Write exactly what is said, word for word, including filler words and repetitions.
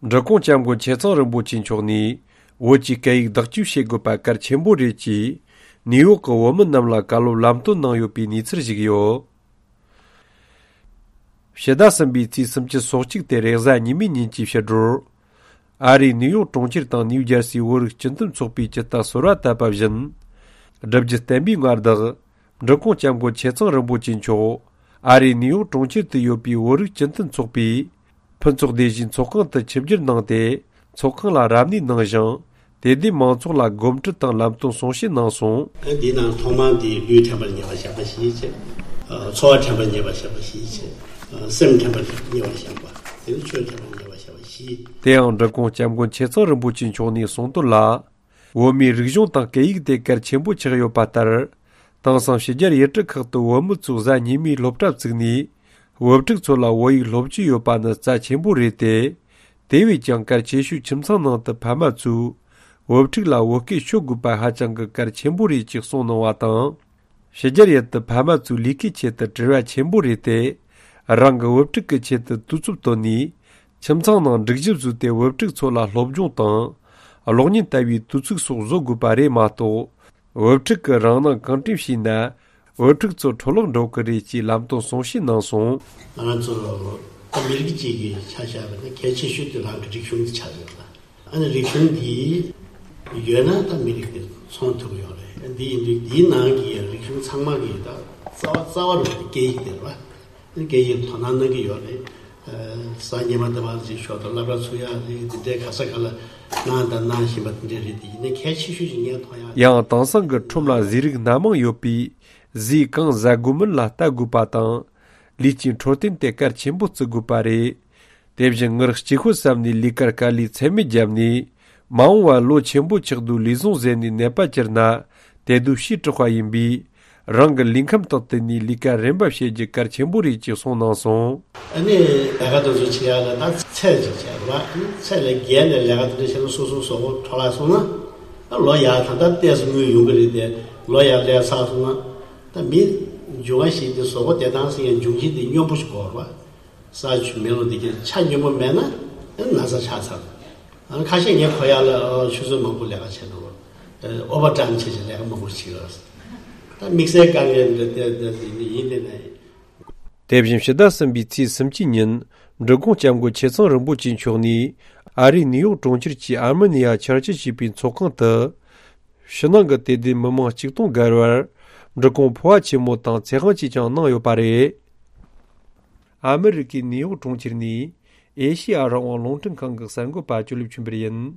འབྲི་གུང་སྐྱབས་མགོན་ཆེ་ཚང་རིན་པོ་ཆེ་མཆོག་ནས་བོད་ཀྱི་སྐད་ཡིག་བདག་སྐྱོང་བྱེད་དགོས་པ་གལ་ཆེན་པོ་རེད་ཅེས་ནིའུ་ཡོག་གི་བོད་མི་རྣམས་ལ་བཀའ་སློབ་ལམ་སྟོན་གནང་ཡོད་པའི་གནས་ཚུལ་ཞིག་ཡོད། ཕྱི་ཟླ་གསུམ་པའི་ཚེས་སུམ་ཅུ་སོ་གཅིག་སྟེ་རེས་གཟའ་ཉི་མའི་ཉིན་གྱི་ཕྱི་དྲོར། ཨ་རིའི་ནིའུ་ཡོག་གྲོང་ཁྱེར་དང་ནིའུ་ཇར་སིའི་བོད་རིགས་སྤྱི་མཐུན་ཚོགས་པའི་སྤྱི་ཟླ་ཟུར་པ་བཏབ་པ་བཞིན། སྒྲུབ་བརྒྱུད་བསྟན་པའི་མངའ་བདག་འབྲི་གུང་སྐྱབས་མགོན་ཆེ་ཚང་རིན་པོ་ཆེ་མཆོག་ཨ་རིའི་ནིའུ་ཡོག་གྲོང་ཁྱེར་དུ་ཡོད་པའི་བོད་རིགས་སྤྱི་མཐུན་ཚོགས་པའི་ཕུན་ཚོགས་སྡེ་བཞིའི་ཚོགས་ཁང་དུ་ཆིབས་བསྒྱུར་གནང་སྟེ། ཚོགས་ཁང་ལ་རབ་གནས་གནང་ཞིང་། དད་ལྡན་མང་ཚོགས་ལ་དགོངས་འཁྲིད་དང་ལམ་སྟོན་གསུང་བཤད་གནང་སོང་། འདིའི་ནང་ཐོག་མར་འདི་ལུས་དྲན་པར་ཉེ་བར་བཞག་པ་ཞིག་བྱས། འཚོ་བ་དྲན་པར་ཉེ་བར་བཞག་པ་ཞིག་བྱས། སེམས་དྲན་པར་ཉེ་བར་བཞག་པ། དེ་ནི་ཆོས་དྲན་པར་ཉེ་བར་བཞག་པ་ཞིག་དེ་ཡང་འབྲི་གུང་སྐྱབས་མགོན་ཆེ་ཚང་རིན་པོ་ཆེ་མཆོག་ནས་གསུངས་དོན་ལ། བོད་མིའི་རིག་གཞུང་དང་སྐད་ཡིག་དེ་གལ་ཆེན་པོ་ཆགས་ཡོད་པ་ལྟར། དེང་སང་ཕྱི་རྒྱལ་ཡུལ་གྲུ་ཁག་ཏུ་བོད་མི་ཚོས་གཟའ་ཉི་མའི་སློབ་གྲྭ་བཙུགས་ནས། བོད་ཕྲུག་ཚོ་ལ་བོད་ཡིག་སློབ་སྦྱོང་ཡོད་པ་ནི་རྩ་ཆེན་པོ་རེད་དེ། དེ་བས་ཀྱང་གལ་ཆེ་ཤོས་ཁྱིམ་ཚང་ནང་དུ་ཕ་མ་ཚོས་བོད་ཕྲུག་ལ་བོད་སྐད་ཤོད་དགོས་པ་ཧ་ཅང་གི་གལ་ཆེན་པོ་རེད་ཅེས་གསུངས་གནང་བ་དང་། ཕྱི་རྒྱལ་ཡུལ་དུ་ཕ་མ་ཚོས་ལས་ཀའི་ཆེད་དུ་བྲེལ་བ་ཆེན་པོ་རེད་དེ། རང་གི་བུ་ཕྲུག་གི་ཆེད་དུ་དུས་ཚོད་བཏོན་ནས། ཁྱིམ་ཚང་ནང་སྒྲིག་གཞི་བཟོས་ཏེ་བུ་ཕྲུག་ཚོ་ལ་སློབ་སྦྱོང་དང་། གློག་བརྙན་ལྟ་བུའི་དུས་ཚོད་སོགས་བཟོ་དགོས་པ་རེད་མ་གཏོགས། བུ་ཕྲུག་གིས་རང་སྣང་གང་དྲན་བྱས་ན། བུ་ཕྲུག་ཚོ་འཕྲོ་བརླག་འགྲོ་གི་རེད་ཅེས་ལམ་སྟོན་གསུང་བཤད་གནང་སོང་། ང་རང་ཚོ་ད་མི་རིགས་གཅིག་གི་ཆ་བཞག་པ་ན་གལ་ཆེ་ཤོས་དེ་རང་གི་རིག་གཞུང་དེ་ཆགས་ཡོད་ལ། ཨ་ནི་རིག་གཞུང་འདི་ཡོད་ན་ད་མི་རིགས་དེ་ཚོང་ཐུབ་ཀྱི་ཡོད་རེད། འདི་ཡིན་དུས་འདིའི་ནང་གི་རིག་གཞུང་ཚང་མ་གི་ད་རྩ་བ་རྩ་བ་རུ་སྐད་ཡིག་དེ་རེད་བ། སྐད་ཡིག་དོ་སྣང་གནང་གི་ཡོད་རེད། གཟའ་ཉི་མ་འདི་བར་ཅིག་ཞོར་དུ་སློབ་གྲྭ་ཚུགས་ཡག་རེད། འདི་འདྲའི་ག་ས་ག་ལ་གནང་དང་གནང་བཞིན་པ་འདི་འདྲ་རེད། དེ་ཡིན་ནའི་གལ་ཆེ་ཤོས་ཤིག་ངས་མཐོང་ཡག་ཡང་དེང་སང་གི་ཁྲོམ་ལ་ཟས་རིགས་སྣ་མང་ཡོད་པས། ཟས་གང་ཟ་དགོས་མིན་ལ་ལྟ་དགོས་པ་དང་། ལུས་ཀྱི་འཕྲོད་བསྟེན་དེ་གལ་ཆེན་པོ་བརྩི་དགོས་པ་རེད། དེ་བཞིན་ངར་གཅིག་ཤོས་བསམ་ནས་ལས་ཀར་དཀའ་ལས་ཚད་མེད་བརྒྱབ་ནས། མ་འོངས་པར་ལོ་ཆེན་པོ་ཆགས་དུས་ལས་བཟང་ཟད་ནས་ནད་པ་གྱུར་ན་དེ་དུས་ཕྱིས་དྲག་པ་ཡིན་པས། རང་གི་ལུས་ཁམས་དང་བསྟུན་ནས་ལས་ཀ་རིམ་པ་བྱེད་རྒྱུ་གལ་ཆེན་པོ་རེད་ཅེས་གསུངས་གནང་སོང་། ཨ་ནི་ལས་ཀ་དེ་ཚོ་བྱེད་ཡག་ལ་ད་ཚད་ཅིག་བྱས་རེད་བ། ཚད་ལས་བརྒལ་ནས་ལས་ཀ་དེ་འདྲ་བྱས་ན་སོ་སོའི་གཟུགས་པོ་འཕྲོ་བརླག་སོང་ན། ད་ལོ་ཡག་ད་ལྟ་ཏོག་ཙམ་དངུལ་ཡོང་གི་རེད་དེ། ལོ་ཡག་ལས་ཚར་སོང་ན། ད་མི་འབྱུང་བ་ཞིག་དེ་གཟུགས་པོ་བདེ་ཐང་ཟེར་ཡག་འབྱུང་རྐྱེན་དེ་སྙོམས་པོ་ཞིག་དགོས་རེད་བ། ས་ཆུ་མེ་རླུང་དེ་གའི་ཆ་སྙོམས་པོ་མེད་ན་ན་ཚ་ཆགས་ཚར། ཨ་ཁ་ཤས་ངའི་ཁོག་ཡག་ལ་ཨོ་ཆུ་ཚོད་མང་པོ་ལས་ཀ་བྱས་འདུག་ཨོ་བར་ཊའིམ་བྱས་བྱས་ལས་ཀ་མང་པོ་བྱེད་ཀྱི་ཡོད། ད་དམིགས་བསལ་དཀའ་ངལ་འདི་འདི་འདི་འདི་ཡིན་དེ་ནས། དེ་བཞིན་ཕྱི་ཟླ་གསུམ་པའི་ཚེས་སུམ་ཅུ་ཉིན་འབྲི་གུང་སྐྱབས་མགོན་ཆེ་ཚང་རིན་པོ་ཆེ་མཆོག་ནས་ཨ་རིའི་ནིའུ་ཡོག་གྲོང་ཁྱེར་གྱི་ཨར་མི་ནི་ཡ་ཆར་ཆུ་ཞེས་པའི་ཚོགས་ཁང་དུ། ཕྱི་ནང་གི་དད་ལྡན་མི་མང་གཅིག་སྟོང་བརྒལ་བར་འབྲི་གུང་ཕོ་བ་ཆེན་མོ་དང་ཚེ་དབང་བཅས་ཀྱང་གནང་ཡོད་པ་རེད། ཨ་མི་རི་ཀའི་ནིའུ་ཡོག་གྲོང་ཁྱེར་ནས་ཨེ་ཤེ་ཡ་རང་དབང་རླུང་འཕྲིན་ཁང་གི་གསར་འགོད་པ་ཅོ་ལིབ་ཆོས་འཕེལ་ཡིན།